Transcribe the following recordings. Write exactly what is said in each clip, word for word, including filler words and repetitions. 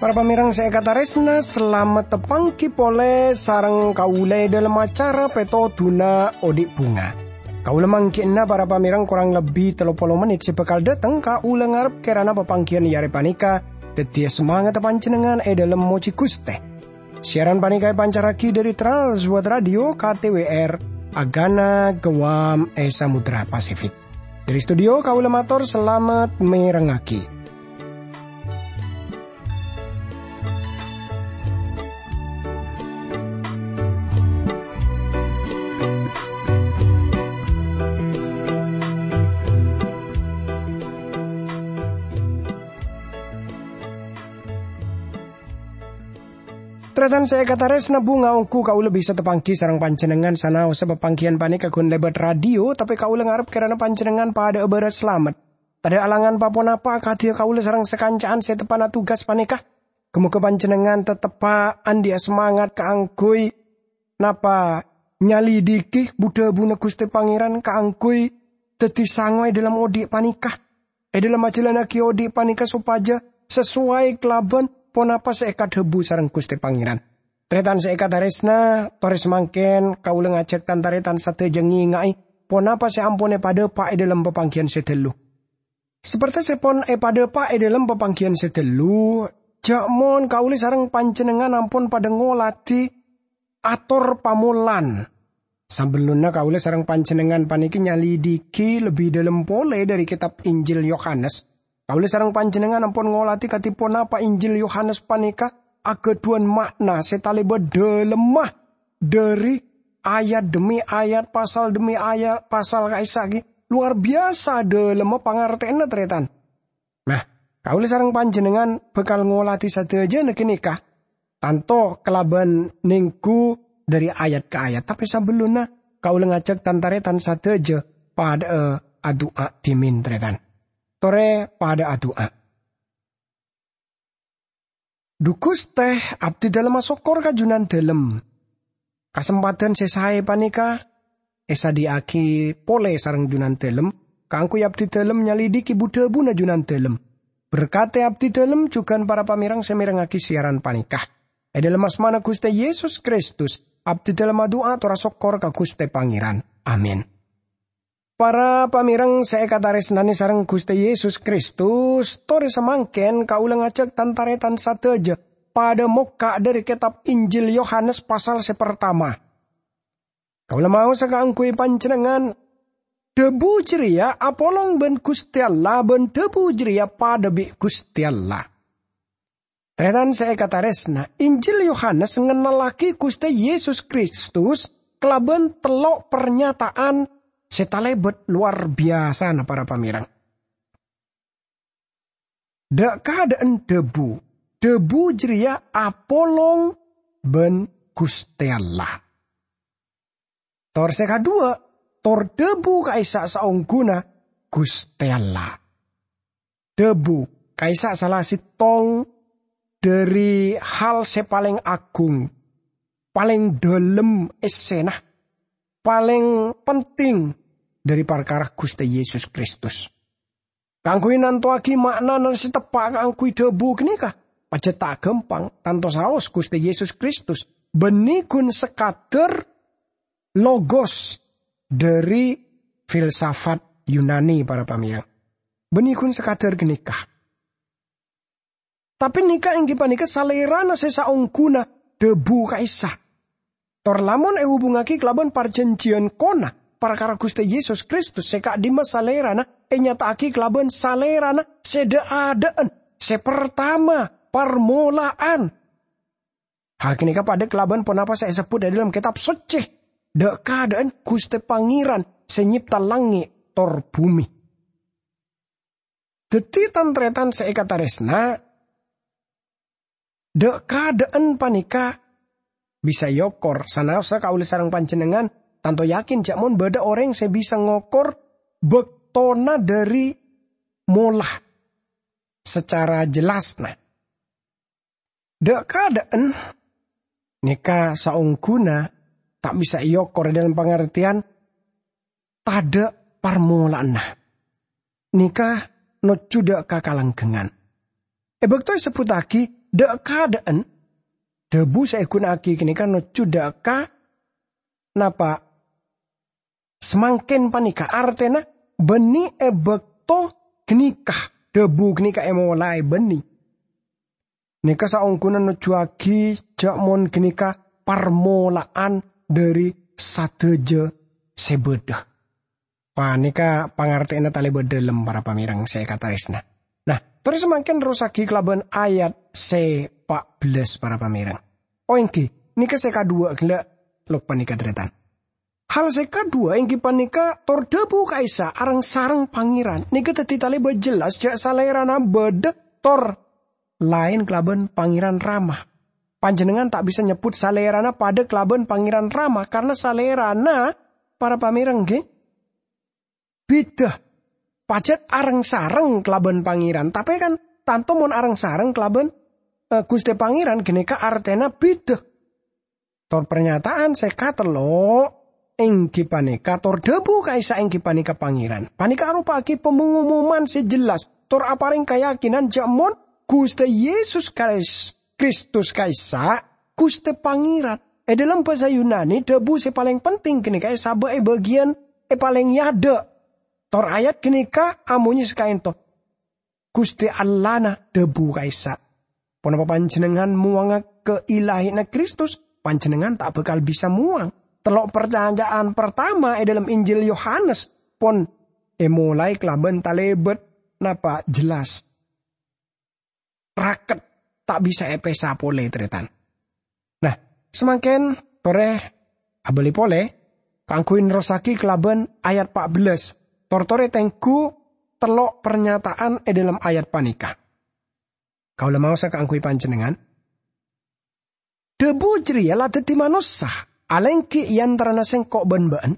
Para pamèrèng sè èkatarèsna, salamet tapangghi polè sareng kaulâ è dhâlem acara Pètodhuna Odi' Bhunga. Kaulâ mangghi'na para pamèrèng korang lebbi tello polo mennit sè bhâkal dâteng, kaulâ ngarep kèrana papangghiyân è arè panèka dhâddhiyâ samangatta panjhennengngan è dhâlem mojhi Ghustè. Siaran panèka èpancarraghi dhâri Trans World Radio K T W R, Agana, Guam, è Samudra Pasifik. Dhâri studio, kaulâ mator salamet mèrengngaghi. Tarètan sè èkatarèsna, bhunga ongghu kaulâ bisa tapangghi sareng panjhennengngan sanaossa papangghiyân panèka ghun lèbât radio, tapè kaulâ ngarep kèrana panjhennengngan padâ'â bârâs salamet. Tadâ' alangan pa-ponapa akadhi kaulâ sareng sakanca'an sè teppa'na tugas panèka. Ghâ-mogâ panjhennengngan tetteppa' andi'â samangat kaangghuy napa nyalidiki bu-dhâbuna Ghustè Pangèran kaangghuy dhâddhi sango è dhâlem odi' panèka. È dhâlem ajhâlânnaghi odi' panèka sopajâ sasowai kalabân ponapa sè èkadhâbu sareng Ghustè Pangèran. Tarètan sè èkatarèsna, torè samangkèn kaulâ ngajhâk tan-tarètan sadhâjâ ngènga'è ponapa sè ampon èpadâpa' è dhâlem papangghiyân sè dhâllu. Sapertè sè pon èpadâpa' è dhâlem papangghiyân sè dhâllu, jhâ' mon kaulâ sareng panjhennengngan ampon padâ ngolatè ator pamolan. Sabellunna kaulâ sareng panjhennengngan panèka nyalidiki lebbi dhâlem polè dhâri kètab Injil Yohanes, kaulâ sareng panjhennengngan ampon ngolatè kadhi ponapa Injil Yohanes panèka aghâdhuwân ma'na sè talèbât dhâlemma dhâri ayat dhemmi ayat, pasal dhemmi ayat, pasal ka'issa' ghi' lowar biyasa dhâlemma pangartèyanna, tarètan. Nah, kaulâ sareng panjhennengngan bhâkal ngolatè sadhâjâna ghânèka, tanto kalabân nèngghu dhâri ayat ka ayat. Tapè sabellunna, kaulâ ngajhâk tan-tarètan sadhâjâ padâ'â adu'a dhimèn, tarètan. Torè padâ adu'a. Dhu Ghustè, abdhi dhâlem asokkor ka Jhunandhâlem. Kasempadhân sè saè panèka èsadhiyâ'aghi polè sareng Jhunandhâlem kaangghuy abdhi dhâlem nyalidiki bu-dhâbuna Jhunandhâlem. Berkadhi abdhi dhâlem jhughân para pamèrèng sè mèrengngaghi siaran panèka. È dhâlem asmana Ghustè Yesus Kristus, abdhi dhâlem adu'a tor asokkor ka Ghustè Pangèran. Amin. Para pamèrèng sè èkatarèsnanè sareng Ghustè Yesus Kristus, torè samangkèn kaulâ ngajhâk tan-tarètan sadhâjâ padâ mokka' dhâri kètab Injil Yohanes pasal sè partama. Kaulâ maosa kaangghuy panjhennengngan, dhâbu jârèya apolong bân Ghustè Allah, bân dhâbu jârèya padâ bi' Ghustè Allah. Tarètan sè èkatarèsna, Injil Yohanes ngennellaghi Ghustè Yesus Kristus kalabân tello' parnyata'an sè talèbât lowar biyasana, para pamèrèng. Dhâ'-kadhâ'ân dhâbu, dhâbu jârèya apolong bân Ghustè Allah. Tor sè kaduwâ', tor dhâbu ka'issa' saongghuna Ghustè Allah. Dhâbu ka'issa' sala sèttong dhâri hal sè palèng aghung, palèng dhâlem èssèna, palèng penting dhâri parkara Ghustè Yesus Kristus. Kaangghuy nantowaghi ma'nana sè teppa' kaangghuy dhâbu ghânèka, pajhât ta' ghâmpang, tanto saos Ghustè Yesus Kristus, bânnè ghun sakadhâr logos dhâri filsafat Yunani, para pamèrèng. Bânnè ghun sakadhâr ghânèka. Tapè nèka èngghi panèka salèrana sè saongghuna dhâbu ka'issa'. Tor lamon èhubungngaghi kalabân parjhânjhiyân kona, parkara Ghustè Yesus Kristus sè ka'dimma salèrana ènyata'aghi kalabân salèrana sè dhâ'-adhâ'ân, sè partama, parmola'an. Hal ghânèka padâ kalabân ponapa sè èsebbhut è dhâlem Kètab Soccè, dhâ'-kadhâ'ân Ghustè Pangèran sè nyèpta langngè' tor bhumè. Dhâddhi, tan-tarètan sè èkatarèsna, dhâ'-kadhâ'ân panèka bisa èokor, sanaossa kaulâ sareng panjhennengngan tanto yakin jhâ' mon bâdâ orèng sè bisa ngokor bâktona dhâri mola sacara jellasna. Dhâ'-kadhâ'ân Nèka saongghuna ta' bisa èokor è dhâlem pangartèyan tadhâ' parmolaanna. Nèka nojjhu dâ' ka kalanggengngan. È bâkto èsebbhuttaghi dâ' kaadâ'ân, dhâbu sè èghuna'aghi ghânèka nojjhu dâ' ka napa samangkèn panèka, artèna bânnè è bâkto ghânèka, dhâbu ghânèka èmolaè bânnè. Nèka saongghuna nojjhuwaghi jhâ' mon ghânèka parmola'an dhâri sadhâjâ sè bâdâ. Panèka pangartèyanna talèbât dhâlem, para pamèreng sè èkatarèsna. Nah, torè samangkèn nerrossaghi kalabân ayat sè pa' bellâs, para pamèreng. Oh, èngghi, nèka sè kaduwâ' ghellâ' lok panèka, tarètan. Hal sè kaduwâ' èngghi panèka tor dhâbu ka'issa' areng-sareng Pangèran. Nèka dhâddhi talèbât jelas jhâ' Salèrana bâdâ tor laèn kalabân Pangèran Rama. Panjhennengngan ta' bisa nyebbhut Salèrana padâ kalabân Pangèran Rama, karna Salèrana, para pamèreng, ngghi, bhidhâ. Pajhât areng-sareng kalabân Pangèran, tapè kan tanto mon areng-sareng kalabân, eh, Ghustè Pangèran ghânèka artèna bhidhâ. Tor parnyata'an sè katello' èngghi panèka tor dhâbu ka'issa' èngghi panèka Pangèran. Panèka aropa'aghi pangomoman sè jelas tor aparèng kayakinan jhâ' mon Ghustè Yesus Kais-, Kristus ka'issa' Ghustè Pangèran. È dhâlem bhâsa Yunani, dhâbu sè palèng penting ghânèka èsabâ' è bâgiyân è palèng è adâ'. Tor ayat ghânèka amonyè sakaènto, "Ghustè Allahna dhâbu ka'issa'." Ponapa panjhennengngan mowangnga kailahèyanna Kristus? Panjhennengngan ta' bhâkal bisa mowang. Tello' parnyata'an partama è dhâlem Injil Yohanes pon èmolaè kalabân talèbât napa jelas raket, ta' bisa èpèsa polè, tarètan. Nah, samangkèn torè abâli polè kaangghuy nerrossaghi kalabân ayat pa' bellâs. Tor-torè tengghu tello' parnyata'an è dhâlem ayat panèka. Kaulâ maosa kaangghuy panjhennengngan. Dhâbu jârèya la dhâddhi manossa, alèngghi è antarana sèngko' bân bâ'ân.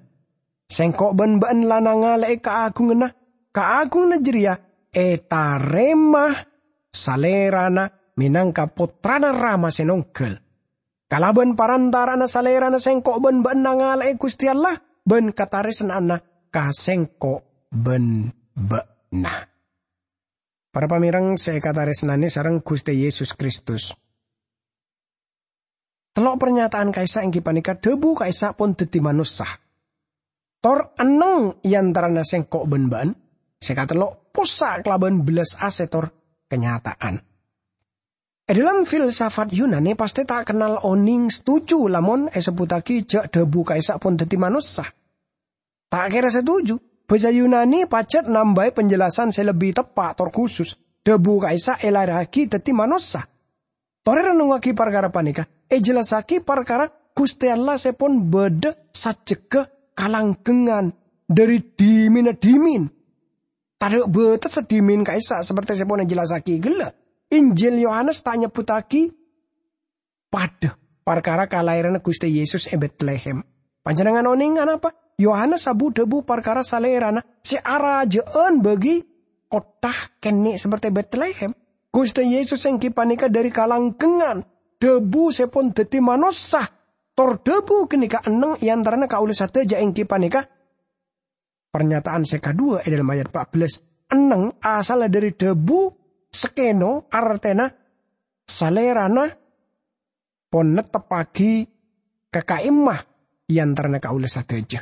Sèngko' bân bâ'ân la nangalè'è kaagunganna. Kaagunganna jârèya ètarèma Salèrana mènangka Pottrana Rama sè nongghâl. Kalabân parantara'anna Salèrana sèngko' bân bâ'ân nangalè'è Ghustè Allah bân katarèsnaanna ka sèngko' bân bâ'na. Para pamèreng sè èkatarèsnanè sareng Ghustè Yesus Kristus. Tello' parnyata'an ka'issa' èngghi panèka dhâbu ka'issa' pon dhâddhi manossa. Tor enneng è antarana sèngko' bân bâ'ân, sè katello' possa' kalabân bellas asètor kanyata'an. È dhâlem filsafat Yunani pastè ta' kennal onèng setuju lamon èsebbhuttaghi jhâ' dhâbu ka'issa' pon dhâddhi manossa. Ta' kèra setuju, bhâsa Yunani pajhât nambâi penjelasan sè lebbi teppa' tor khusus. Dhâbu ka'issa' èlaèrraghi dhâddhi manossa. Torè rennongngaghi parkara panèka, èjellassaghi parkara Ghustè Allah sè pon bâdâ sajjhegghâ kalanggengngan dhâri dhimènna dhimèn. Tadâ' bâtessa dhimèn ka'issa' saperte sè pon èjellassaghi ghellâ'. Injil Yohanes ta' nyebbhuttaghi padâ parkara kalaèranna Ghustè Yesus è Betlehem. Panjhennengngan onèng anapa? Yohanes abu-dhâbu parkara Salèrana sè arajâ'ân bâgi kottha kènè' saperte Betlehem. Ghustè Yesus èngghi panèka dhâri kalanggengngan, dhâbu sè pon dhâddhi manossa. Tor dhâbu ghânèka enneng è antarana kaulâ sadhâjâ èngghi panèka Parnyata'an sè kaduwâ è dhâlem ayat pa' bellâs, enneng asalla dhâri dhâbu skeno, artèna Salèrana pon netteppaghi ka ka'imma è antarana kaulâ sadhâjâ.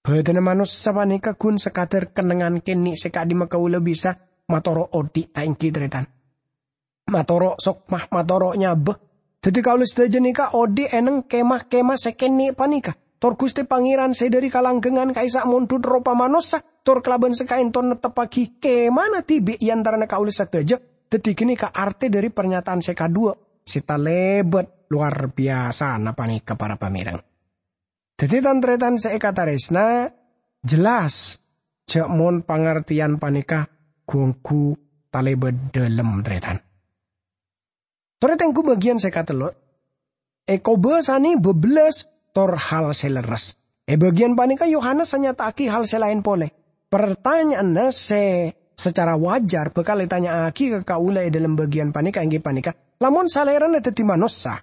Bhâdhânna manossa panèka ghun sakadhâr kennengngan kènè' sè ka'dimma kaulâ bisa matoro' odhi', ta' èngghi, tarètan? Matoro' sokma, matoro' nyabâ. Dhâddhi kaulâ sadhâjâ nèka odhi' è neng kemah-kemah sè kènè' panèka. Tor Ghustè Pangèran sè dhâri kalanggengngan ka'issa' mondhut ropa manossa, tor kalabân sè ka'ènto netteppaghi kemana dhibi' è antarana kaulâ sadhâjâ. Dhâddhi ghânèka artè dhâri parnyata'an sè kaduwâ, sè talèbât lowar biyasana panèka, para pamèreng. Dhâddhi, tan-tarètan sè èkatarèsna, jelas jhâ' mon pangartèyan panèka ghu-ongghu talèbât dhâlem, tarètan. Torè tengghu bâgiyân sè katello', èkobâsanè bâbellâs tor hal sè lerres. È bâgiyân panèka Yohanes anyata'aghi hal sè laèn polè. Partanya'anna sè sacara wajar bhâkal ètanya'aghi ka kaulâ è dhâlem bâgiyân panèka èngghi panèka, lamon Salèrana dhâddhi manossa,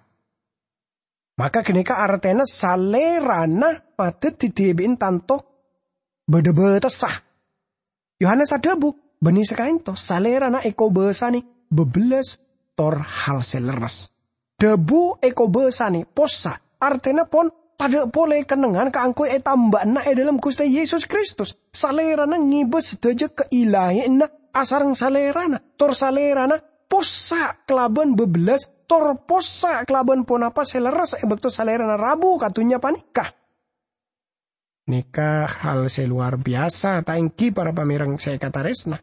Maka ganèka artèna Salèrana madhâddhi dhibi'en tanto bâdâ bâtessa. Yohanes adhâbu, "Bânnè sakaènto, Salèrana èkobâsanè bâbellâs tor hal sè lerres." Dhâbu èkobâsanè, possa', artèna pon tadâ' polè kennengngan kaangghuy ètambâ'âna è dhâlem Ghustè Yesus Kristus. Salèrana ngibâ sadhâjâ kailahiyanna asareng Salèrana, tor Salèrana possa' kalabân bâbellâs, tor possa' kalabân ponapa sè lerres è bâkto Salèrana rabu ka dhunnya panèka. Nèka hal sè lowar biyasa, ta' ènggi, para pamèreng sè èkatarèsna?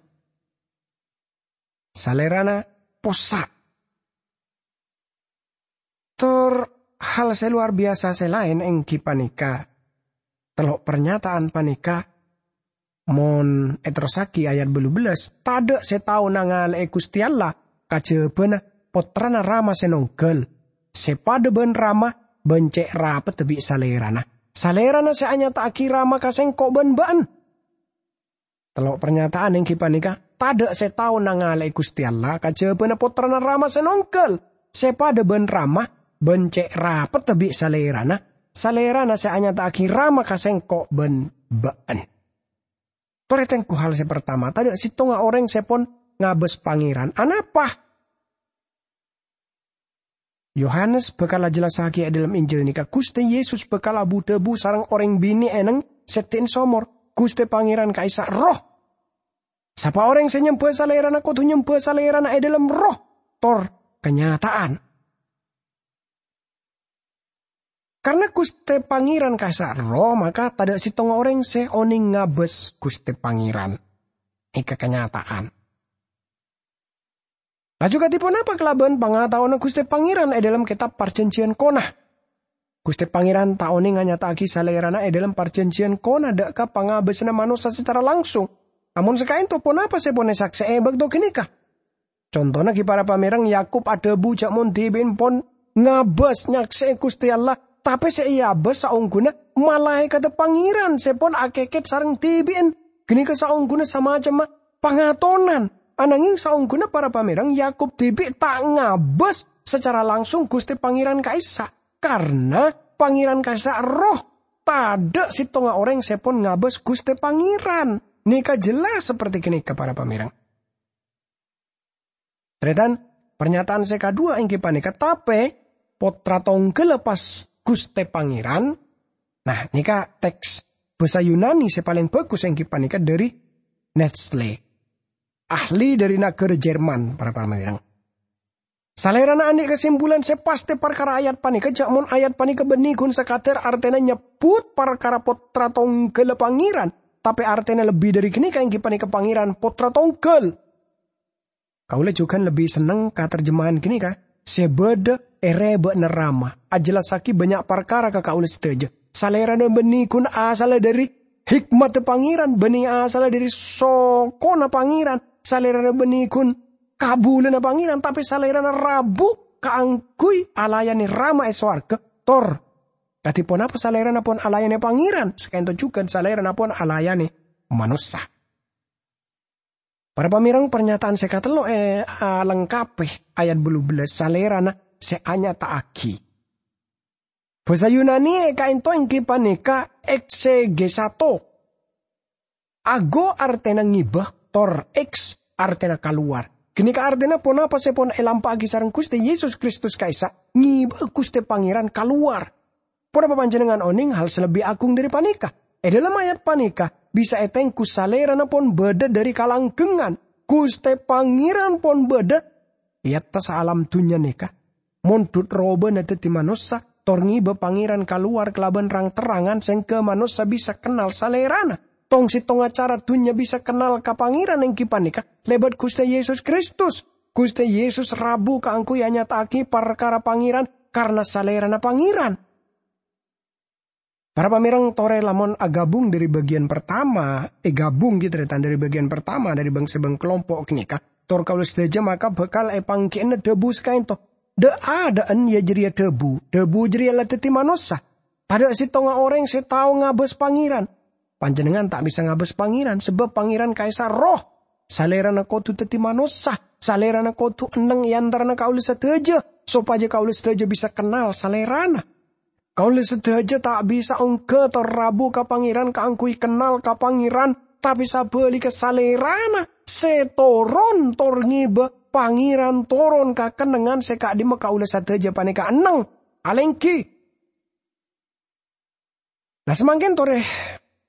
Salèrana possa'. Tor hal sè lowar biyasa sè laèn ènggi panèka, tello' parnyataan panèka, mon èterrossaghi ayat bâllu bellâs, "Tadâ' sè tao nangalè'è Ghustè Allah kajhâbhâna Pottrana Rama sè nongghâl, sè padâ bân Rama bân cè' rapeddhâ bi' Salèrana. Salèrana sè anyata'aghi Rama ka sèngko' bân bâ'ân." Tello' parnyataan ènggi panèka, tadâ' sè tao nangalè'è Ghustè Allah kajhâbhâna Pottrana Rama sè nongghâl, sè padâ bân Rama bân cè' rapeddhâ bi' Salèrana, Salèrana sè anyata'aghi Rama ka sèngko' bân bâ'ân. Torè tengghu hal sè partama, tadâ' sèttonga orèng sè pon ngabâs Pangèran. Anapa? Yohanes bhâkal ajhellassaghi è dhâlem Injil nèka, Ghustè Yesus bhâkal abu-dhâbu sareng orèng binè' è nèng sèddhi'na somor, Ghustè Pangèran ka'issa' Erroh. Sapa orèng sè nyembhâ Salèrana kodhu nyembhâ Salèrana è dhâlem Erroh tor kanyata'an. Karna Ghustè Pangèran ka'issa' Erroh, maka tadâ' sèttonga orèng sè onèng ngabâs Ghustè Pangèran. Nèka kanyata'an. Laju kadhi ponapa kalabân pangataowanna Ghustè Pangèran è dhâlem kètab Parjhânjhiyân Kona? Ghustè Pangèran ta' onèng anyata'aghi Salèrana è dhâlem Parjhânjhiyân Kona dâ' ka pangabâsanna manossa sacara langsung. Amon sakaènto, ponapa sè pon èsaksè'è è bâkto ghânèka? Contona ghi, para pamèreng, Yakub adhâbu jhâ' mon dhibi'en pon ngabâs nyaksè'è Ghustè Allah, tapè sè èabâs saongghuna malaèkaddhâ Pangèran sè pon akèkèt sareng dhibi'en. Ghânèka saongghuna samacemma pangatonan. Anangèng saongghuna para pamèreng, Yakub dhibi' ta' ngabâs sacara langsung Ghustè Pangèran ka'issa', karna Pangèran ka'issa' Erroh. Tadâ' sèttonga orèng sè pon ngabâs Ghustè Pangèran. Nèka jelas saperti ghânèka, para pamèreng. Tarètan, parnyataan sè kaduwâ' ènggi panèka, tapè Pottra Tongghâlla pas Ghustè Pangèran. Nah, nèka teks bhâsa Yunani sè palèng bhâghus ènggi panèka dhâri Nestle, ahli dhâri naghârâ Jerman, para pamèreng. Salèrana andi' kasimpulan sè pastè parkara ayat panèka, jhâ' mon ayat panèka bânnè ghun sakadhâr artèna nyebbhut parkara Pottra Tongghâlla Pangèran, tapè artèna lebbi dhâri ghânèka ènggi panèka Pangèran Pottra Tongghâl. Kaulâ jhughân lebbi senneng ka tarjemahan ghânèka, "Sè bâdâ è rèbâ'na Rama, ajellassaghi bânnya' parkara ka kaulâ sadhâjâ." Salèrana bânnè ghun asalla dhâri hikmadhâ Pangèran, bânnè asalla dhâri sokona Pangèran. Salèrana bânnè ghun kabulâna Pangèran, tapè Salèrana rabu kaangghuy alayanè Rama è sowarghâ, tor kadhi ponapa Salèrana pon alayanè Pangèran, sakaènto jhughân Salèrana pon alayanè manossa. Para pamèreng, parnyataan sè katello' è, alengkapè ayat bâllu bellâs, "Salèrana sè anyata'aghi." Bhâsa Yunani è kaènto ènggi panèka eksegesato. Ago artèna ngibâ, tor eks artèna kalowar. Ghânèka artèna ponapa sè pon èlampa'aghi sareng Ghustè Yesus Kristus ka'issa', ngibâ Ghustè Pangèran kalowar. Ponapa panjhennengngan onèng hal sè lebbi agung dhâri panèka? È dhâlem ayat panèka bisa ètengghu Salèrana pon bâdâ dhâri kalanggengngan. Ghustè Pangèran pon bâdâ è attassa alam dhunnya nèka. Mondhut robâna dhâddhi manossa, tor ngibâ Pangèran kalowar kalabân rang-terrangan sèngghâ manossa bisa kennal Salèrana. Tong-sèttongnga cara dhunnya bisa kennal ka Pangèran ènggi panèka lèbât Ghustè Yesus Kristus. Ghustè Yesus rabu kaangghuy anyata'aghi parkara Pangèran karna Salèrana Pangèran. Para pamèreng, torè lamon aghâbung dhâri bâgiyân partama, èghâbung ghi tarètan dhâri bâgiyân partama dhâri bâng-sèbâng kalompo' ghânèka, tor kaulâ sadhâjâ maka bhâkal èpangghi'âna dhâbu sakaènto, "Dâ'-adâ'ân, iyâ jârèya dhâbu, dhâbu jârèya la dhâddhi manossa. Tadâ' sèttonga orèng sè tao ngabâs Pangèran." Panjhennengngan ta' bisa ngabâs Pangèran, sabâb Pangèran ka'issa' Erroh. Salèrana kodhu dhâddhi manossa. Salèrana kodhu enneng è antarana kaulâ sadhâjâ, sopajâ kaulâ sadhâjâ bisa kennal Salèrana. Kaulâ sadhâjâ ta' bisa ongghâ tor rabu ka Pangèran kaangghuy kennal ka Pangèran, tapè sabhâligghâ Salèrana sè toron tor ngèbâ Pangèran toron ka kennengngan sè ka'dimma kaulâ sadhâjâ panèka enneng alèngghi. Nah, samangkèn torè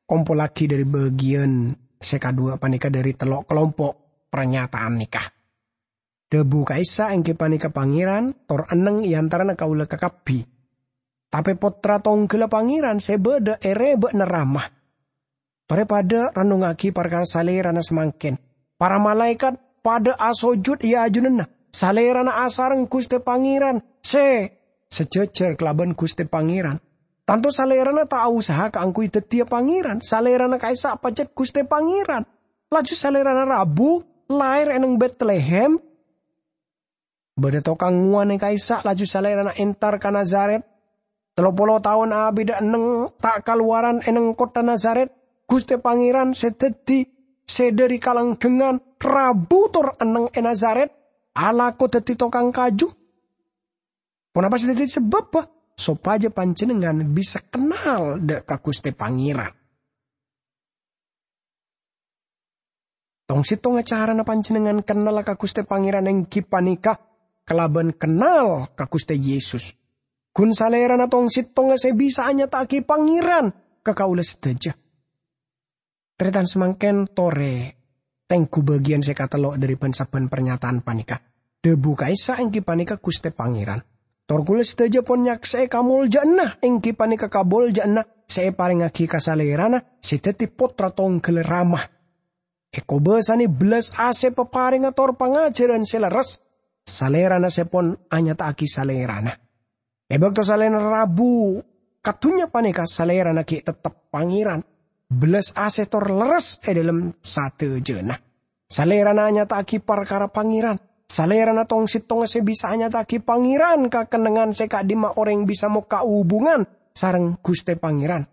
kompollaghi dhâri bâgiyân sè kaduwâ' panèka dhâri tello' kalompo' parnyataan nèka. Dhâbu ka'issa' èngghi panèka Pangèran, tor enneng è antarana kaulâ kakabbhi. Tapè Pottra tongghâlla Pangèran sè bâdâ è rèbâ'na Rama. Torè padâ rennongngaghi parkara Salèrana samangkèn. Para malaèkat padâ asojud è ajunanna. Salèrana asareng Ghustè Pangèran sè sajhâjhâr kalabân Ghustè Pangèran. Tanto Salèrana ta' aosaha kaangghuy dhâddhiyâ Pangèran. Salèrana ka'issa' pajhât Ghustè Pangèran. Laju Salèrana rabu, laèr è neng Betlehem. Bâdâ tokang ngowanè ka'issa', laju Salèrana entar ka Nazaret. Tello polo taon abidhâ enneng ta' kalowaran è neng kottha Nazaret. Ghustè Pangèran sè dhâddhi sè dhâri kalanggengngan rabu tor enneng è Nazaret, alako dhâddhi tokang kaju. Ponapa sè dhâddhi sabâbbhâ? Sopajâ panjhennengngan bisa kennal dhâ' ka Ghustè Pangèran. Tong-settongnga carana panjhennengngan kennal ka Ghustè Pangèran èngghi panèka kalabân kennal ka Ghustè Yesus. Ghun Salèrana tong-settongnga sè bisa anyata'aghi Pangèran ka kaulâ sadhâjâ. Tarètan samangkèn torè tengghu bâgiyân sè katello' dhâri bân-sabbhân parnyataan panèka. Dhâbu ka'issa' èngghi panèka Ghustè Pangèran. Tor kaulâ sadhâjâ pon nyaksè'è kamoljâ'ânna èngghi panèka kamoljâ'ânna sè èparèngngaghi ka Salèrana sè dhâddhi Pottra tongghâlla Rama. Èkobâsanè bellas asè paparèngnga tor pangajhârân sè lerres, Salèrana sè pon anyata'aghi Salèrana. È bâkto Salèrana rabu ka dhunnya panèka, Salèrana ghi' teptep Pangèran. Bellas asè tor lerres è dhâlem sadhâjâna. Salèrana anyata'aghi parkara Pangèran. Salèrana tong-settongnga sè bisa anyata'aghi Pangèran ka kennengngan sè ka'dimma orèng bisa mokka' hubungan sareng Ghustè Pangèran.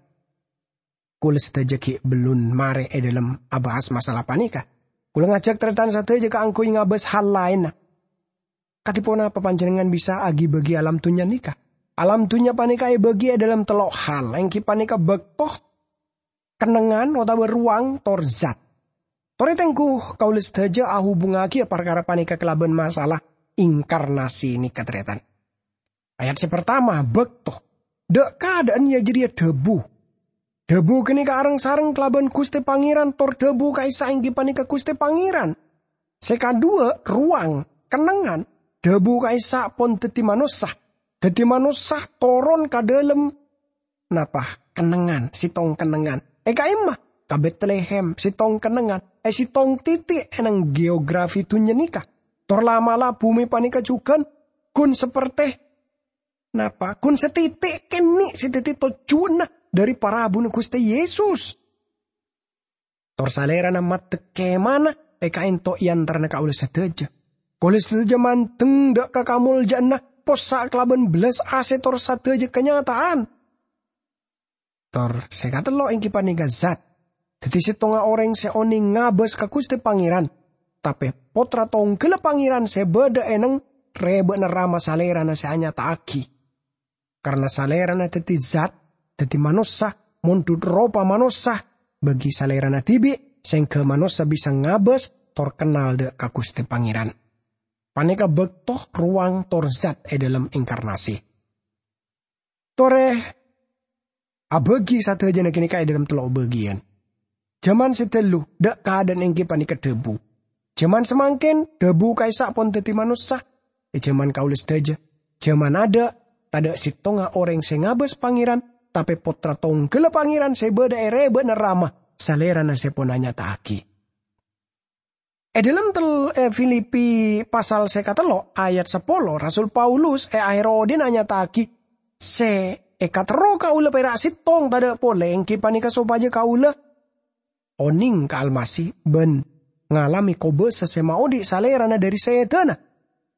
Kaulâ sadhâjâ ghi' bellun marè è dhâlem abahas masalah panèka. Kaulâ ngajhâk tarètan sadhâjâ kaangghuy ngabâs hal laènna. Kadhi ponapa panjhennengngan bisa aghi-bâghi alam dhunnya nèka? Alam dhunnya panèka èbâghi è dhâlem tello' hal, èngghi panèka bâkto, kennengngan, otabâ rowang, tor zat. Torè tengghu kaulâ sadhâjâ ahubungngaghiyâ parkara panèka kalabân masalah inkarnasi nèka, tarètan. Ayat sè partama, bâkto. Dhâ'-kadhâ'ân yâ jârèya dhâbu. Dhâbu ghânèka areng-sareng kalabân Ghustè Pangèran, tor dhâbu ka'issa' èngghi panèka Ghustè Pangèran. Sè kaduwâ', rowang, kennengngan. Dhâbu ka'issa' pon dhâddhi manossa. Dhâddhi manossa toron ka dhâlem napa? Kennengngan, sèttong kennengngan. È ka'imma? Ka Betlehem, sèttong kennengngan. È sèttong tètè' è neng geografi dhunnya nèka. Tor la'-mala' bhumè panèka jhughân ghun sapertè napa? Ghun satètè' kènè' sè dhâddhi tojjhuwânna dhâri parabuna Ghustè Yesus. Tor Salèrana maddhek kemana è ka'ento' è antarana kaulâ sadhâjâ. Kaulâ sadhâjâ mandeng dhâ' ka kamoljâ'ânna, possa' kalabân bellas asè tor sadhâjâ kanyata'an. Tor sè katello' èngghi panèka zat. Dhâddhi sèttonga orèng sè onèng ngabâs ka Ghustè Pangèran, tapè Pottra tongghâlla Pangèran sè bâdâ è neng rèbâ'na Rama Salèrana sè anyata'aghi. Karna Salèrana dhâddhi zat, dhâddhi manossa, mondhut ropa manossa, bâgi Salèrana dhibi' sèngghâ manossa bisa ngabâs tor kennal dhâ' ka Ghustè Pangèran. Panèka bâkto, rowang, tor zat è dhâlem inkarnasi. Torè abâgi sadhâjâna ghânèka è dhâlem tello' bâgiyân. Jhâman sè dâllu, dhâ'-kadhâ'ân èngghi panèka dhâbu. Jhâman samangkèn, dhâbu ka'issa' pon dhâddhi manossa. È jhâman kaulâ sadhâjâ, jhâman adâ', tadhâ' sèttonga orèng sè ngabâs Pangèran, tapè Pottra tongghâlla Pangèran sè bâdâ è rèbâ'na Rama, Salèrana sè pon anyata'aghi. È dhâlem tel-, è Filipi pasal sè katello' ayat sapolo, Rasul Paulus è aher odhi'na nyata'aghi sè èkaterro kaulâ pèra' sèttong tadhâ' polè, èngghi panèka sopajâ kaulâ onèng ka Almasih bân ngalamè kobâsa sè maodhi' Salèrana dhâri sèdhâna.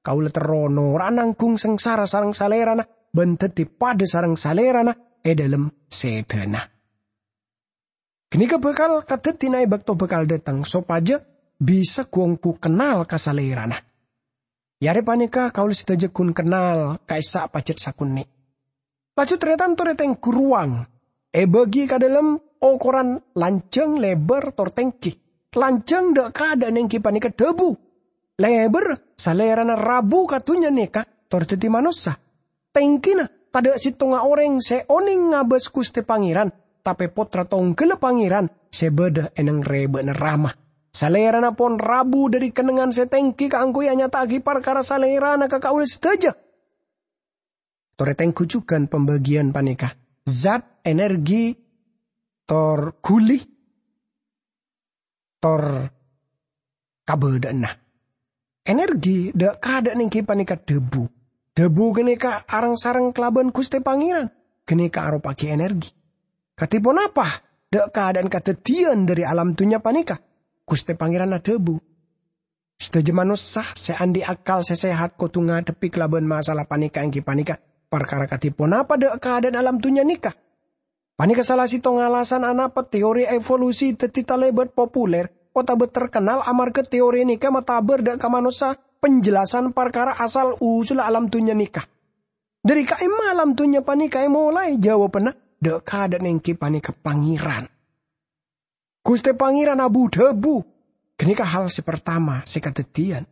Kaulâ terro nora'a nangghung sangsara sareng Salèrana bân dhâddhi padâ sareng Salèrana è dhâlem sèdhâna. Ghânèka bhâkal kadhâddhiyâna è bâkto bhâkal dâteng, sopajâ bisa ghu-ongghu kennal ka Salèrana. È arè panèka kaulâ sadhâjâ ghun kennal ka'issa' pajhât sakonè'. Laju tarètan torè tèngghu rowang èbâgi ka dâlem okoran lanjhâng, lèbâr, tor tèngghi. Lanjhâng dâ'-kadâ'ân èngghi panèka dhâbu. Lèbâr, Salèrana rabu ka dhunnya nèka tor dhâddhi manossa. Tèngghina, tadâ' sèttonga orèng sè onèng ngabâs Ghustè Pangèran, tapè Pottra Tongghâlla Pangèran sè bâdâ è neng-rèbâ'na Rama. Salèrana pon rabu dhâri kennengngan sè tèngghi kaangghuy anyata'aghi parkara Salèrana ka kaulâ sadhâjâ. Torè tèngghu jhughân pambâgiyân panèka: zat, energi, tor ghuli, tor kabâdâ'ânna. Energi dâ'-kadâ'ân èngghi panèka dhâbu. Dhâbu ghânèka areng-sareng kalabân Ghustè Pangèran, ghânèka aropa'aghi energi. Kadhi ponapa dâ'-kadâ'ân kadhâddhiyân dhâri alam dhunnya panèka? Ghustè Pangèran adhâbu, "Sadhâjâ manossa sè andi' akal sè sehat kodhu ngadhebbhi kalabân masalah panèka, èngghi panèka parkara kadhi ponapa dâ'-kadâ'ân alam dhunnya nèka." Panèka sala sèttonga alasan anapa teori evolusi dhâddhi talèbât populer otabâ terkenal, amarghâ teori nèka matabâr dâ' ka manossa penjelasan parkara asal-usulla alam dhunnya nèka. Dhâri ka'imma alam dhunnya panèka èmolaè? Jawabanna, dâ'-kadâ'ân èngghi panèka Pangèran. Ghustè Pangèran abu-dhâbu. Ghânèka hal sè partama sè kadhâddhiyân.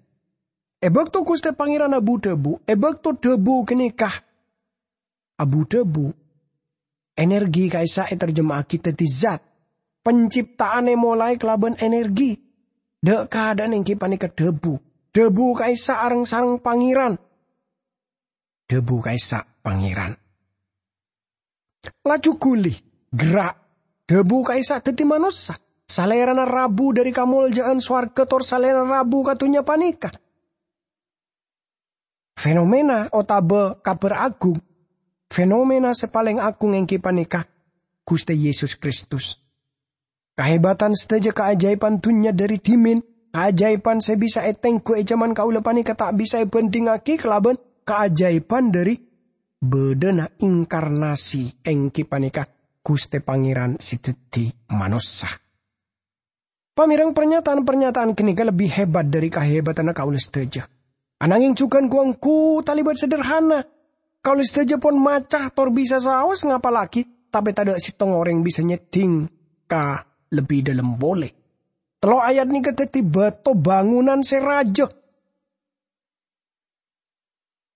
È bâkto Ghustè Pangèran abu-dhâbu, è bâkto dhâbu ghânèka abu-dhâbu, energi ka'issa' ètarjema'aghi dhâddhi zat. Penciptaan èmolaè kalabân energi. Dâ'-kadâ'ân èngghi panèka dhâbu. Dhâbu ka'issa' areng-sareng Pangèran. Dhâbu ka'issa' Pangèran. Laju ghuli, ghârâ', dhâbu ka'issa' dhâddhi manossa. Salèrana rabu dhâri kamoljâ'ân sowarghâ tor Salèrana rabu ka dhunnya panèka. Fenomena otabâ kabhâr agung, fenomena sè palèng agung èngghi panèka Ghustè Yesus Kristus. Kahebatan sadhâjâ kaajaiban dhunnya dhâri dhimèn, kaajaiban sè bisa ètengghu è jhâman kaulâ panèka ta' bisa èbhândhingngaghi kalabân kaajaiban dhâri bâdâna inkarnasi, èngghi panèka Ghustè Pangèran sè dhâddhi manossa. Pamèreng, parnyataan-parnyataan ghânèka lebbi hebat dhâri kahebatanna kaulâ sadhâjâ. Anangèng jhughân ghu-ongghu talèbât sederhana. Kaulâ sadhâjâ pon maca tor bisa saos ngapallaghi, tapè tadâ' sèttonga orèng bisa nyeddhing ka lebbi dhâlem polè. Tello' ayat nèka dhâddhi bâto bângonan sè rajâ.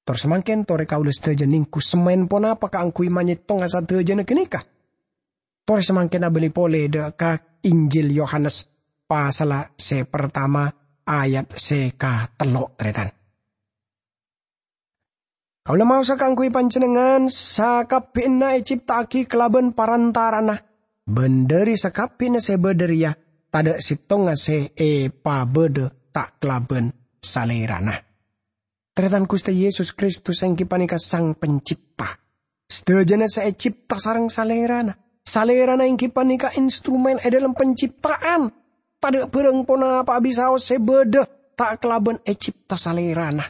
Tor samangkèn torè kaulâ sadhâjâ nèngghu semmèn ponapa kaangghuy manyèttonga sadhâjâna ghânèka? Torè samangkèn abâli polè dâ' ka Injil Yohanes pasalla sè partama ayat sè katello', tarètan. Kaulâ maosa kaangghuy panjhennengngan, sakabbhiyânna ècipta'aghi kalabân parantara'anna, bân dhâri sakabbhiyânna sè bâdâ rèya tadâ' sèttonga sè èpabâdâ ta' kalabân Salèrana. Tarètan, Ghustè Yesus Kristus èngghi panèka Sang Pencipta. Sadhâjâna sè ècipta sareng Salèrana. Salèrana èngghi panèka instrumen è dhâlem penciptaan. Tadâ' bhârâng ponapa'a bisaos sè bâdâ ta' kalabân ècipta Salèrana.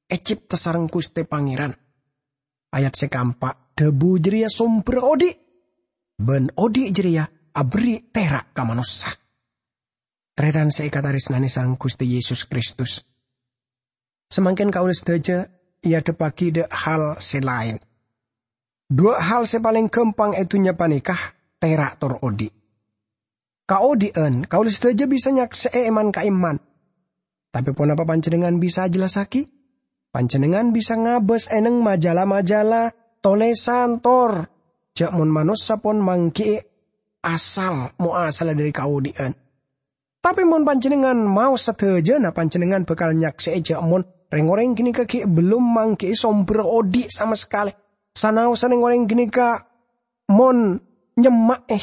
Ècipta sareng Ghustè Pangèran. Ayat sè kaempa', dhâbu jârèya sombherra odi', bân odi' jârèya aberri' tèra' ka manossa. Tarètan sè èkatarèsnanè sareng Ghustè Yesus Kristus. Samangkèn kaulâ sadhâjâ èadhebbhâghi dâ' hal sè laèn. Duwâ' hal sè palèng ghâmpang è dhunnya panèka, tèra' tor odi'. Kaodi'ân, kaulâ sadhâjâ bisa nyaksè'è è man-ka'imman. Tapè ponapa panjhennengngan bisa ajhellassaghi? Panjhennengngan bisa ngabâs è neng majala-majala, tolèsan, tor jhâ' mon manossa pon mangghi'i asal, mo-asalla dhâri kaodi'ân. Tapè mon panjhennengngan maos sadhâjâna, panjhennengngan bhâkal nyaksè'è jhâ' mon rèng-orèng ghânèka ghi' bellum mangghi'i sombherra odi' sama sakalè. Sanaossa rèng-orèng ghânèka mon nyemma'è.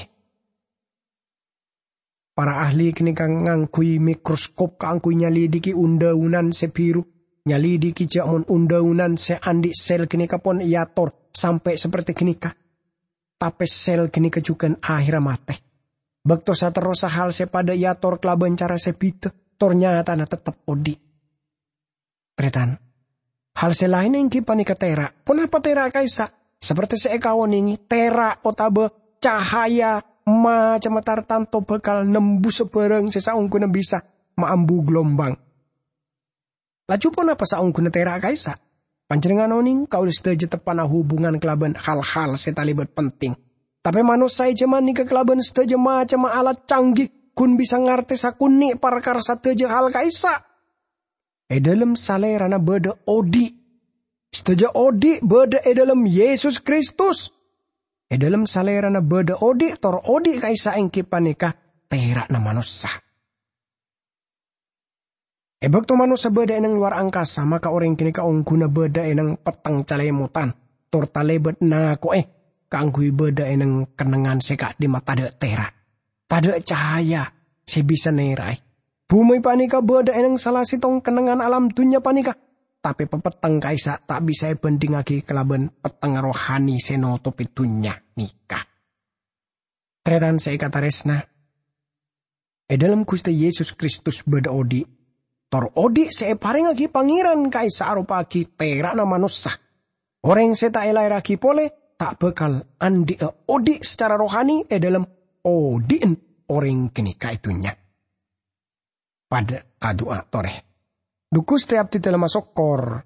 Para ahli ghânèka ngangghuy mikroskop kaangghuy nyalidiki un-dhâunan sè bhiru, nyalidiki jhâ' mon un-dhâunan sè andi' sèl ghânèka pon èator sampè' saperti ghânèka. Tapè sèl ghânèka jhughân ahèrra matè. Bâkto saterrossa hal sè padâ èator kalabân cara sè bhidhâ, tor nyatana tettep odi'. Tarètan, hal sè laèn èngghi panèka tèra'. Ponapa tèra' ka'issa'? Saperti sè èkaonèngè, tèra' otabâ cahaya macemma tartanto bhâkal nembusa bhârâng sè saongghuna bisa maambu glombang. Laju ponapa saongghuna tèra' ka'issa'? Panjhennengngan onèng kaulâ sadhâjâ teppa'na hubungan kalabân hal-hal sè talèbât penting. Tapè manossa è jhâman nèka kalabân sadhâjâ macemma alat canggih ghun bisa ngartè sakonè' parkara sadhâjâ hal ka'issa'. È dhâlem Salèrana bâdâ odi'. Sadhâjâ odi' bâdâ è dhâlem Yesus Kristus. È dhâlem Salèrana bâdâ odi', tor odi' ka'issa' èngghi panèka tèra'na manossa. È bâkto manossa bâdâ è neng lowar angkasa, maka orèng ghânèka ongghuna bâdâ è neng petteng calèmotan, tor talèbât nako'è kaangghuy bâdâ è neng kennengngan sè ka'dimma tadâ' tèra', tadâ' cahaya sè bisa nèra'è. Bhumè panèka bâdâ è neng sala sèttong kennengngan alam dhunnya panèka, tapè papetteng ka'issa' ta' bisa èbhândhingngaghi kalabân petteng rohani sè notopè dhunnya nèka. Tarètan sè èkatarèsna, è dhâlem Ghustè Yesus Kristus bâdâ odi', tor odi' sè èparèngngaghi Pangèran ka'issa' aropa'aghi tèra'na manossa. Orèng sè ta' èlaèrraghi polè ta' bhâkal andhi'â odi' sacara rohani è dhâlem odi'na orèng ghânèka è dhunnya. Padâ adu'a torè. Dhu Ghustè, abdhidhâlem asokkor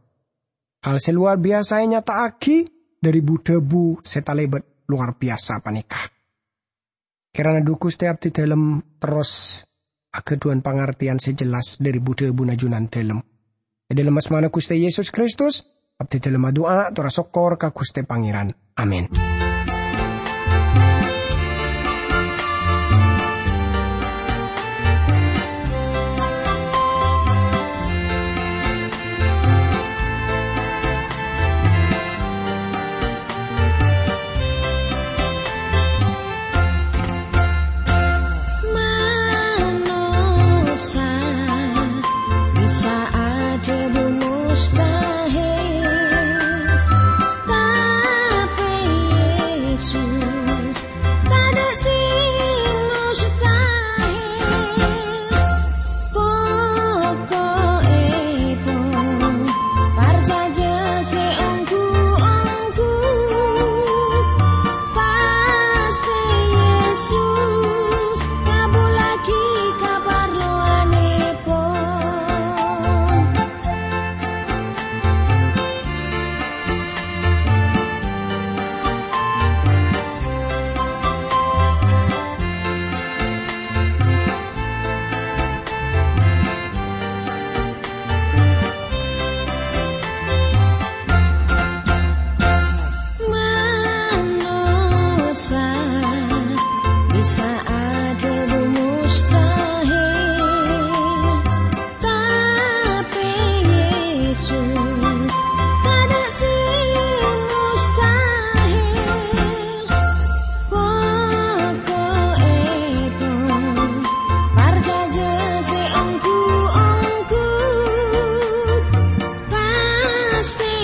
hal sè lowar biyasa ènyata'aghi dhâri bu-dhâbu sè talèbât lowar biyasa panèka. Kèrana dhu Ghustè abdhidhâlem terros aghâdhuwân pangartèyan sè jelas dhâri bu-dhâbuna Junandhâlem. È dhâlem asmana Ghustè Yesus Kristus, abdhidhâlem adu'a tor asokkor ka Ghustè Pangèran. Amin. Manossa bisa adhâbu mustahil, tapè Yesus tadâ' sè mustahil. Poko'èpon, parcajâ sè ongghu-ongghu, pastè Yesus ngabhullaghi kaparlowanèpon. Manossa bisa adhâbu mustahil, tapè Yesus tadâ' sè mustahil. Poko'èpon, parcajâ sè ongghu-ongghu, pastè